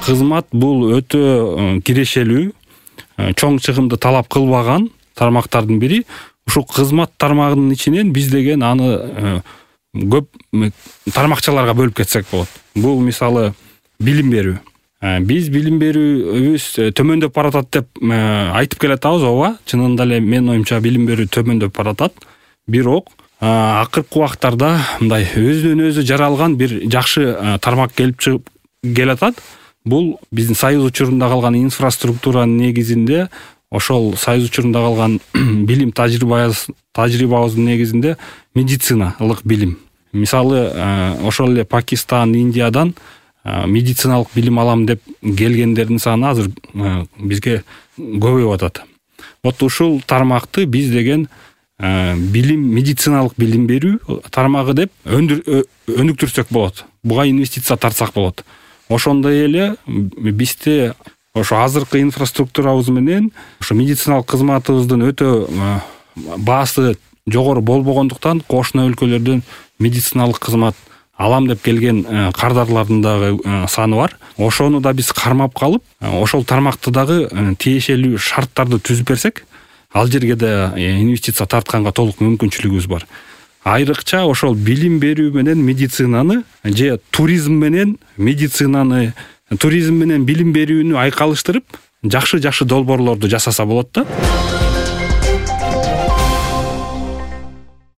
кызмат бул өтө кирешелүү, чоң чыгымды талап кылбаган тармактардын бири. Ушул кызмат тармагынын ичинен биз деген аны көп тармакчаларга бөлүп кетсек болот. Бул мисалы билим берүү. Биз билим берүүбүз төмөндөп баратат деп айтып келатабыз, ооба. Чынында эле менин оюмча билим берүү төмөндөп баратат. Бирок акыркы убактарда мындай өзүнөн өзү жаралган бир жакшы тармак келип чыгып келатат. Бул биздин союз учурунда калган инфраструктуранын негизинде, ошол союз учурунда калган билим тажрыйбабыздын негизинде медициналык билим. Мисалы, ошол эле Пакистан, Индиядан медициналык билим алам деп келгендердин саны азыр бизге көбөйүп атат. Вот ушул тармакты биз деген билим, медициналык билим берүү тармагы деп өнүктүрсөк болот. Буга инвестиция тартсак болот. Ошондой эле бизде ошо азыркы инфраструктурабыз менен ошо медициналык кызматыбыздын өтө баасы жогору болбогондуктан кошуна өлкөлөрдөн медициналык кызмат алам деп келген кардарлардын дагы саны бар. Ошону да биз кармап калып, ошол тармакты дагы тиешелүү шарттарды түзүп берсек, ал жерге да инвестиция тартканга толук мүмкүнчүлүгүбүз бар. Айрыкча ошол билим берүү менен медицинаны же туризм менен медицинаны, туризм менен билим берүүнү айкалыштырып, жакшы долбоорлорду жасаса болот да.